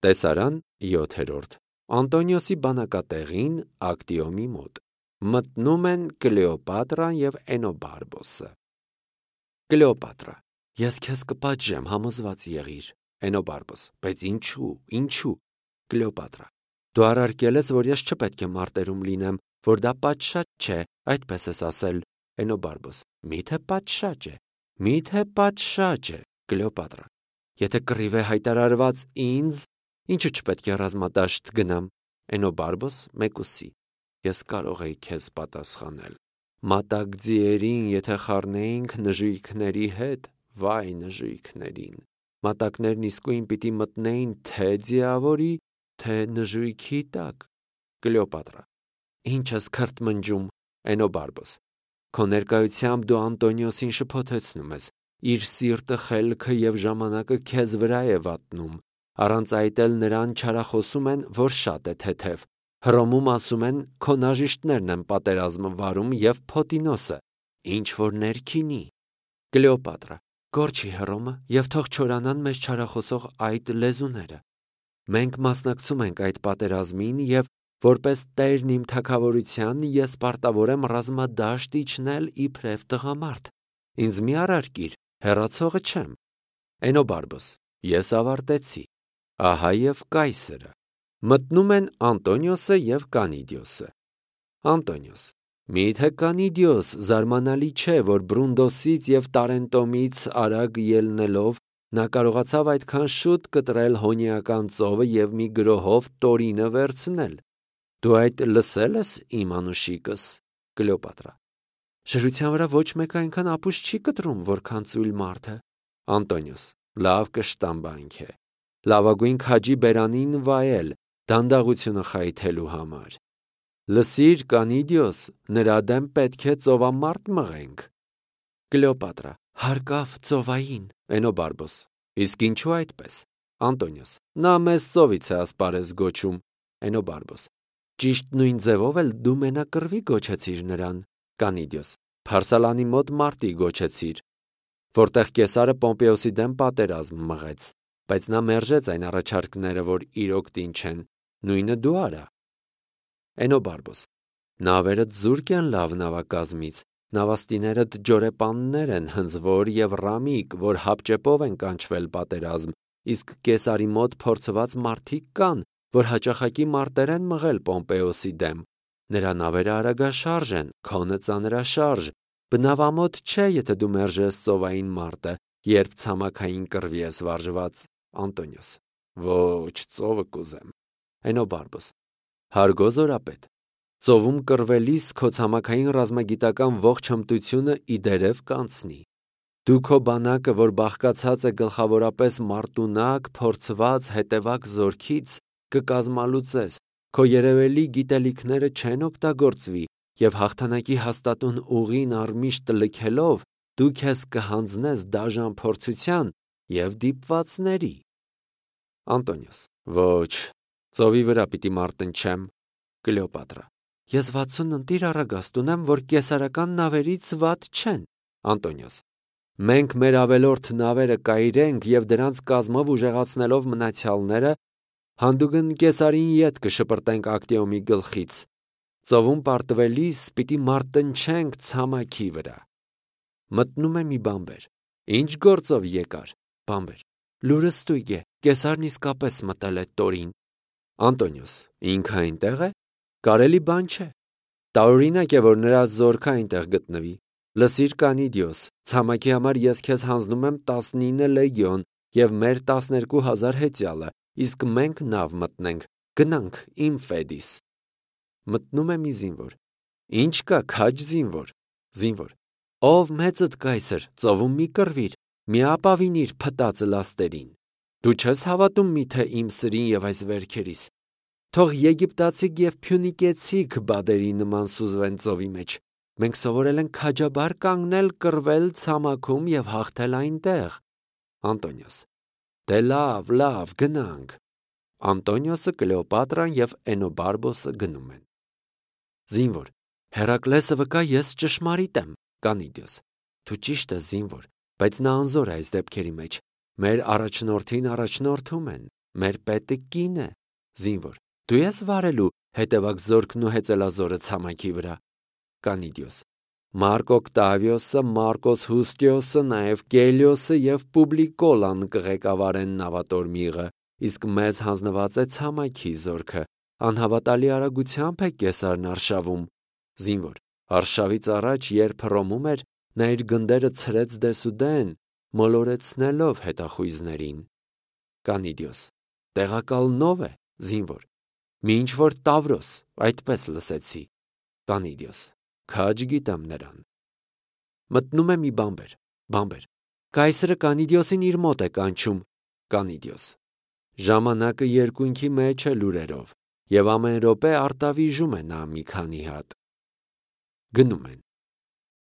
Տեսարան 7. Անտոնիոսի բանակատեղին Ակտիոմի մոտ մտնում են Կլեոպատրան և Էնոբարբոսը։ Կլեոպատրա. Ես քեզ կպատժեմ, համոզված եղիր։ Էնոբարբոս. բայց ինչու։ Կլեոպատրա. դու առարկել ես, որ ես չպետք է մարտերում լինեմ, որ դա պատշաճ չէ, այդպես ես ասել։ Էնոբարբոս. միթե պատշաճ է։ Կլեոպատրա. եթե կռիվ է հայտարարված ինձ, ինչու չպետք է ռազմադաշտ գնամ։ Էնոբարբոս մեկուսի. ես կարող էի քեզ պատասխանել։ Մատակ ձիերին եթե խառնեինք նժույգների հետ, վայ նժույգներին։ Մատակներն իսկույն պիտի մտնեին թե ձիավորի, թե նժույգի տակ։ Կլեոպատրա. ինչ ես քրթմնջում։ Էնոբարբոս. քո ներկայությամբ դու Անտոնիոսին շփոթեցնում ես, իր սիրտը, խելքը և ժամանակը քեզ վրա է վատնում, առանց այդ էլ նրան չարախոսում են, որ շատ է թեթև։ Հռոմում ասում են, քո նաժիշտներն են պատերազմը վարում և Փոտինոսը, ինչ որ ներքինի։ Կլեոպատրա. Գործի Հռոմը և թող չորանան մեզ չարախոսող այդ լեզուները։ Մենք մասնակցում ենք այդ պատերազմին և որպես տերն իմ թագավորության ես պարտավոր եմ ռազմադաշտ իջնել իբրև տղամարդ։ Ինձ մի առարկիր, հեռացողը չեմ։ Էնոբարբոս. ես ավարտեցի։ Ահա և կայսրը։ Մտնում են Անտոնիոսը և Կանիդիոսը։ Անտոնիոս. միթե Կանիդիոս զարմանալի չէ, որ Բրունդոսից և Տարենտոմից արագ ելնելով նա կարողացավ այդքան շուտ կտրել Հոնիական ծովը և մի գրոհով Տորինը վերցնել։ Դու այդ լսել ես իմ անուշիկս։ Կլեոպատրա. Շրության վրա ոչ մեկ այնքան ապուշ չի կտրում, որքան ծույլ մարդը։ Անտոնիոս. լավ կշտամբանք է։ Լավագույն քաջի բերանին վայել, դանդաղությունը խայթելու համար։ Լսիր, Կանիդիոս, նրա դեմ պետք է ծովամարտ մղենք։ Կլեոպատրա. հարկավ ծովային։ Էնոբարբոս. իսկ ինչու այդպես։ Անտոնիոս. նա մեզ ծովից է ասպարեզ գոչում։ Էնոբարբոս. ճիշտ նույն ձևով էլ դու մենակռվի գոչեցիր նրան։ Կանիդիոս. Փարսալանի մոտ մարտի գոչեցիր, որտեղ Կեսարը Պոմպեոսի դեմ պատերազմ մղեց, բայց նա մերժեց այն առաջարկները, որ իր օգտին չեն, նույնը դու արա։ Էնոբարբոս. նավերդ զուրկ են լավ նավակազմից, նավաստիներդ ջորեպաններ են հնձվոր և ռամիկ, որ հապճեպով են կանչվել պատերազմ, իսկ Կեսարի մոտ փորձված մարդիկ կան, որ հաճախակի մարտեր են մղել Պոմպեոսի դեմ։ Նրա նավերը արագաշարժ են, քոնը ծանրաշարժ, բնավամոտ չէ, եթե դու մերժես ծովային մարտը, երբ ցամաքային կռվի ես վարժված։ Անտոնիոս. ոչ, ծովը կուզեմ։ Էնոբարբոս. հարգո զորապետ, ծովում կռվելիս քո ցամաքային ռազմագիտական ողջ հմտությունը իդերև կանցնի։ Դու քո բանակը, որ բաղկացած է գլխավորապես մարտունակ, փորձված, հետևակ զորքից, կկազմալուծես, քո երևելի գիտելիքները չեն օգտագործվի, և հաղթանակի հաստատուն ուղին առմիշտ լքելով դու քեզ կհանձնես դաժան փորձության և դիպվածների։ Անտոնիոս. ոչ, ծովի վրա պիտի մարտնչեմ։ Կլեոպատրա. ես 60 ընտիր առագաստ ունեմ, որ կեսարական նավերից վատ չեն։ Անտոնիոս. մենք մեր ավելորդ նավերը կայրենք և դրանց կազմով ուժեղացնելով մնացյալները, հանդուգն Կեսարին ետ կշպրտենք Ակտիոմի գլխից։ Ծովում պարտվելիս պիտի մարտնչենք ցամաքի վրա։ Մտնում է մի բանբեր. ինչ գործով եկար։ Բանբեր. լուրը ստույգ է, Կեսարն իսկապես մտել է Տորին։ Անտոնիոս. ինքը այնտեղ է։ Կարելի բան չէ։ Տարօրինակ է, որ նրա զորքը այնտեղ գտնվի։ Լսիր, Կանիդիոս, ցամաքի համար ես քեզ հանձնում եմ 19 լեգիոն և մեր 12,000 հեծյալը, իսկ մենք նավ մտնենք, գնանք իմ Ֆեդիս։ Մտնում է մի զինվոր. ինչ կա, քաջ զինվոր։ Զինվոր. ով մեծդ կայսր, ծովում մի կռվիր, մի ապավինիր փտածը լաստերին։ Դու չես հավատում միթե իմ սրին և այս վերքերիս։ Թող եգիպտացիք և փյունիկեցիք բադերի նման սուզվեն ծովի մեջ։ Մենք սովորել ենք քաջաբար կանգնել, կռվել ցամաքում և հաղթել այնտեղ։ Անտոնիոս. դե լավ, գնանք։ Անտոնիոսը, Կլեոպատրան և Էնոբարբոսը գնում են։ Զինվոր. Հերակլեսը վկա, ես ճշմարիտ եմ։ Կանիդիոս. դու ճիշտ ես, զինվոր, բայց նա անզոր է այս դեպքերի մեջ։ Մեր առաջնորդին առաջնորդում են։ Մեր պետը կին է։ Զինվոր. Դու ես վարելու հետևակ զորքն ու հեծելազորը ցամաքի վրա։ Կանիդիոս. Մարկ Օկտավիոսը, Մարկոս Հուստիոսը, նաև Կելիոսը եւ Պուբլիկոլան կղեկավարեն նավատորմիղը, իսկ մեզ հանձնված է ցամաքի զորքը։ Անհավատալի արագությամբ է Կեսարն արշավում։ Զինվոր. Արշավից առաջ, երբ Հռոմում էր, նա իր գնդերը ցրեց դեսուդեն, մոլորեցնելով հետախույզներին։ Կանիդիոս. Տեղակալնով է։ Զինվոր. Մի ինչ որ Տավրոս, այդպես լսեցի։ Կանիդիոս. Քաջ գիտեմ նրան։ Մտնում է մի բամբեր։ Կայսրը Կանիդիոսին իր մոտ է կանչում։ Կանիդիոս. Ժամանակը երկունքի մեջ է լուրերով, եւ ամեն րոպե արտավիժում է նա մի քանի հատ։ Գնում են։